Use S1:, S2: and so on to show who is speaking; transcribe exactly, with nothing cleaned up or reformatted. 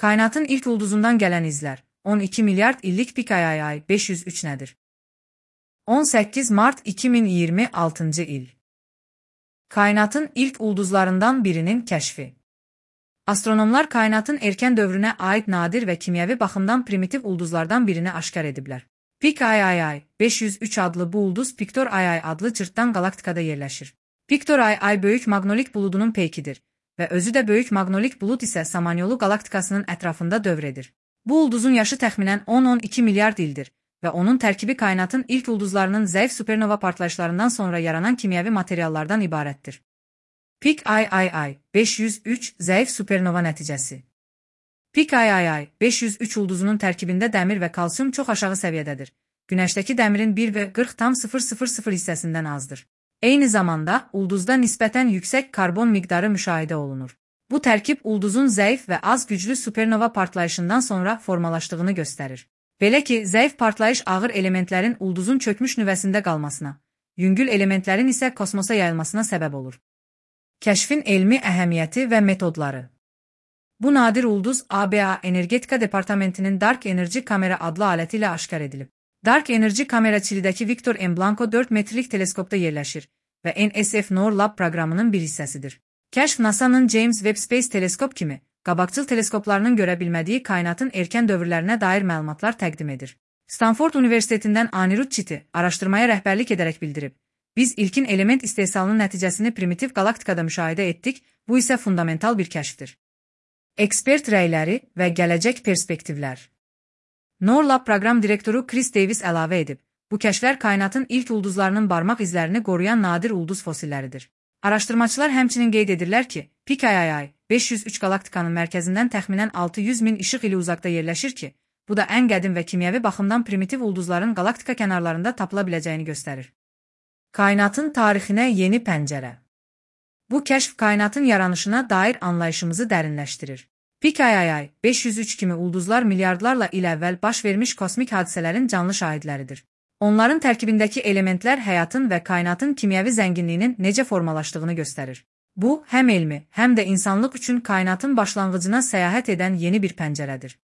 S1: Kainatın ilk ulduzundan gelen izler. on iki milyard illik pik ay ay ay beş yüz üç nedir? on sekiz Mart iki bin iyirmi altıncı il. Kainatın ilk ulduzlarından birinin keşfi. Astronomlar kainatın erken dövrüne ait nadir ve kimyevi baxımdan primitiv ulduzlardan birini aşkar ediblər. Pik ay ay ay beş yüz üç adlı bu ulduz Piktor ay ay adlı cırtdan galaktikada yerləşir. Piktor ay ay böyük maqnolik buludunun peykidir və özü də böyük maqnolik bulud isə Samanyolu galaktikasının ətrafında dövr edir. Bu ulduzun yaşı təxminən on on iki milyard ildir və onun tərkibi kainatın ilk ulduzlarının zəif supernova partlayışlarından sonra yaranan kimyevi materiallardan ibarətdir. Pik ay ay ay beş yüz üç zəif supernova nəticəsi. Pik ay ay ay beş yüz üç ulduzunun tərkibində dəmir və kalsium çox aşağı səviyyədədir. Günəşdəki dəmirin bir və qırx tam sıfır sıfır sıfır hissəsindən azdır. Eyni zamanda ulduzda nisbətən yüksək karbon miqdarı müşahidə olunur. Bu tərkib ulduzun zəif və az güclü supernova partlayışından sonra formalaşdığını göstərir. Belə ki, zəif partlayış ağır elementlərin ulduzun çökmüş nüvəsində qalmasına, yüngül elementlərin isə kosmosa yayılmasına səbəb olur. Kəşfin elmi əhəmiyyəti və metodları. Bu nadir ulduz A B A Energetika Departamentinin Dark Energy kamera adlı aləti ilə aşkar edilib. Dark Energy kamera Çilidəki Victor M. Blanco dörd metrlik teleskopda yerləşir və N S F NOR Lab proqramının bir hissəsidir. Kəşf NASA'nın James Webb Space Teleskop kimi qabaqcıl teleskoplarının görə bilmədiyi kainatın erkən dövrlərinə dair məlumatlar təqdim edir. Stanford Universitetindən Anirudh Chitty araşdırmaya rəhbərlik edərək bildirib. Biz ilkin element istehsalının nəticəsini primitiv galaktikada müşahidə etdik, bu isə fundamental bir kəşfdir. Ekspert rəyləri və gələcək perspektivlər. NOR Lab proqram direktoru Chris Davis əlavə edib, bu kəşflər kainatın ilk ulduzlarının barmaq izlərini qoruyan nadir ulduz fosilləridir. Araşdırmaçılar həmçinin qeyd edirlər ki, Pik ay ay ay beş yüz üç galaktikanın mərkəzindən təxminən altı yüz min işıq ili uzaqda yerləşir ki, bu da ən qədim və kimyevi baxımdan primitiv ulduzların galaktika kənarlarında tapıla biləcəyini göstərir. Kainatın tarixinə yeni pəncərə. Bu kəşf kainatın yaranışına dair anlayışımızı dərinləşdirir. Pik ay ay ay beş yüz üç kimi ulduzlar milyardlarla il əvvəl baş vermiş kosmik hadisələrin canlı şahidləridir. Onların tərkibindəki elementlər həyatın və kainatın kimyevi zənginliyinin necə formalaşdığını göstərir. Bu, həm elmi, həm də insanlıq üçün kainatın başlanğıcına səyahət edən yeni bir pəncərədir.